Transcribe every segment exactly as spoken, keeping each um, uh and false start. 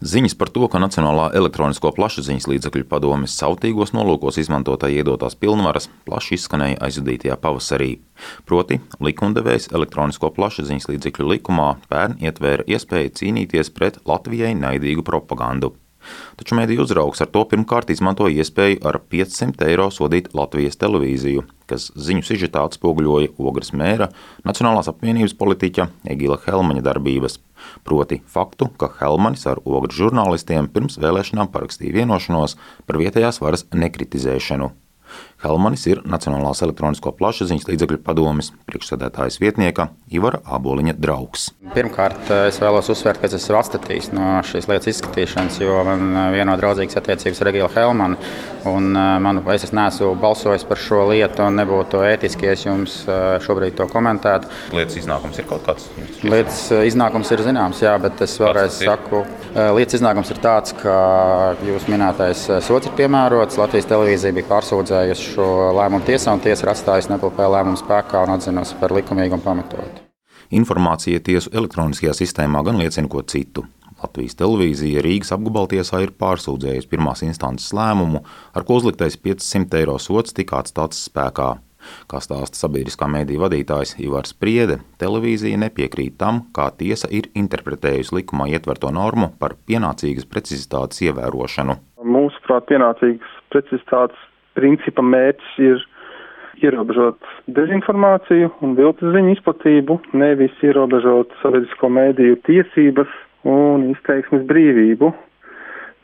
Ziņas par to, ka Nacionālā elektronisko plašsaziņas līdzekļu padomes sautīgos nolūkos izmantotāji iedotās pilnvaras, plaši izskanēja aizvadītajā pavasarī. Proti, likumdevējs elektronisko plašsaziņas līdzekļu likumā pērn ietvēra iespēju cīnīties pret Latvijai naidīgu propagandu. Taču mediju uzraugs ar to pirmkārt izmantoja iespēju ar piecsimt eiro sodīt Latvijas televīziju, kas ziņu sižetā atspoguļoja Ogres mēra Nacionālās apvienības politiķa Egila Helmaņa darbības. Proti faktu, ka Helmanis ar Ogres žurnālistiem pirms vēlēšanām parakstīja vienošanos par vietējās varas nekritizēšanu. Helmanis ir Nacionālās elektronisko plašsaziņas līdzekļu padomes priekšsēdētājas vietnieka Ivara Āboliņa draugs. Pirmkārt, es vēlos uzsvērt, ka es esmu atstatījis no šīs lietas izskatīšanas, jo man vieno draudzīgas attiecības ar Egilu Helmanu, un manu, es neesmu balsojis par šo lietu, un nebūtu ētiski, ja es jums šobrīd to komentētu. Lietas iznākums ir kaut kāds? Lietas iznākums ir zināms, jā, bet es vēlreiz saku, lietas iznākums ir tāds, ka jūs minētais sods ir piemērots, Latvijas televīzija bija pārsūdzējusi šo lēmumu tiesā, un tiesa ir atstājusi nepilnē lēmumu spēkā un atzinusi par likumīgu un pamatotu. Informācija tiesu elektroniskajā sistēmā gan liecina ko citu. Latvijas televīzija Rīgas apgabaltiesā ir pārsūdzējusi pirmās instances lēmumu, ar ko uzliktais piecsimt eiro sods tika atstāts spēkā. Kā stāsta sabiedriskā mediju vadītājs Ivars Priede, televīzija nepiekrīt tam, kā tiesa ir interpretējusi likumā ietverto normu par pienācīgas precizitātes ievērošanu. Mūsuprāt, pienācīgas precizitātes principa mērķis ir ierobežot dezinformāciju un viltus ziņu izplatību, nevis ierobežot sabiedrisko mediju tiesības un izteiksmes brīvību.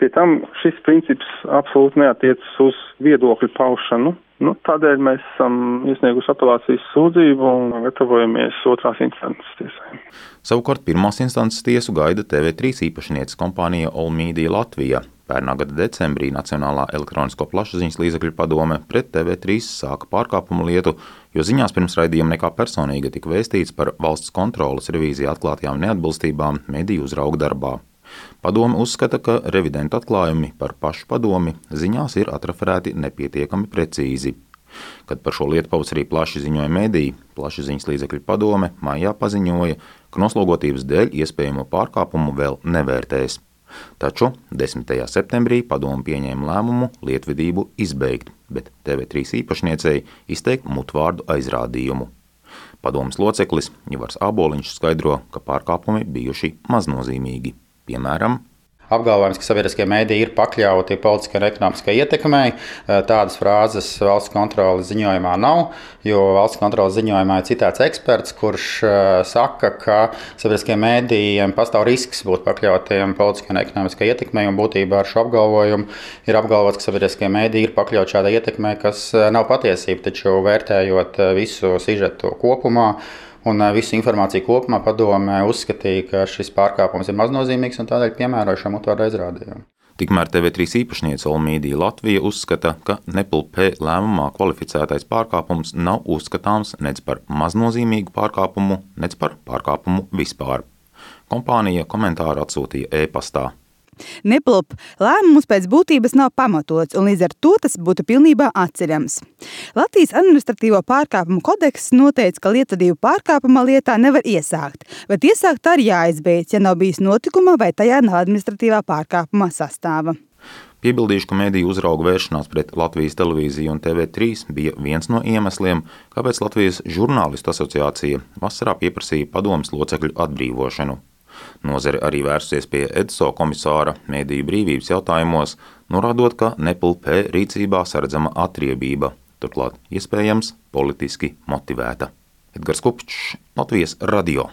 Pie tam šis princips absolūti neatiecas uz viedokļu paušanu. Nu, tādēļ mēs esam iesnieguši apelācijas sūdzību un gatavojamies otrās instances tiesai. Savukārt pirmās instances tiesu gaida T V trīs īpašnieces kompānija All Media Latvija. Pērnā gada decembrī Nacionālā elektronisko plašsaziņas līdzekļu padome pret T V trīs sāka pārkāpumu lietu, jo ziņās pirms raidījuma nekā personīga tika vēstīts par valsts kontroles revīzijā atklātajām neatbilstībām mediju uzrauga darbā. Padome uzskata, ka revidentu atklājumi par pašu padomi ziņās ir atreferēti nepietiekami precīzi. Kad par šo lietu pavasarī plaši ziņoja mediji, plašsaziņas līdzekļu padome maijā paziņoja, ka noslogotības dēļ iespējamo pārkāpumu vēl nevērtēs. Taču desmitajā septembrī padome pieņēma lēmumu lietvedību izbeigt, bet T V trīs īpašniecei izteikt mutvārdu aizrādījumu. Padomes loceklis Ivars Āboliņš skaidro, ka pārkāpumi bijuši maznozīmīgi. Piemēram, apgalvojums, ka sabiedriskie mediji ir pakļauti politiskai un ekonomiskai ietekmei. Tādas frāzes valsts kontroles ziņojumā nav, jo valsts kontroles ziņojumā ir citāts eksperts, kurš saka, ka sabiedriskiem medijiem pastāv risks būt pakļautiem politiskai un ekonomiskai ietekmei, un būtībā ar šo apgalvojumu ir apgalvots, ka sabiedriskie mediji ir pakļauti šādai ietekmei, kas nav patiesība, taču vērtējot visu sižetu kopumā, un visu informāciju kopumā padome uzskatīja, ka šis pārkāpums ir maznozīmīgs un tādēļ piemēroja šo mutvārdu aizrādījumu. Tikmēr T V trīs īpašniece All Media Latvija uzskata, ka Nepl-P lēmumā kvalificētais pārkāpums nav uzskatāms nec par maznozīmīgu pārkāpumu, nec par pārkāpumu vispār. Kompānija komentāru atsūtīja e-pastā. Nepl-P lēmums pēc būtības nav pamatots, un līdz ar to tas būtu pilnībā atceļams. Latvijas administratīvo pārkāpumu kodeks noteica, ka lietvedību pārkāpuma lietā nevar iesākt, bet iesākt tā ir jāizbeidz, ja nav bijis notikuma vai tajā nav administratīvā pārkāpuma sastāva. Piebildīšu, ka mediju uzrauga vēršanās pret Latvijas televīziju un T V trīs bija viens no iemesliem, kāpēc Latvijas žurnālistu asociācija vasarā pieprasīja padomes locekļu atbrīvošanu. Nozare arī vērsusies pie E D S O komisāra mediju brīvības jautājumos, norādot, ka Nepl-P rīcībā saredzama atriebība, turklāt iespējams politiski motivēta. Edgars Kupčs, Latvijas radio.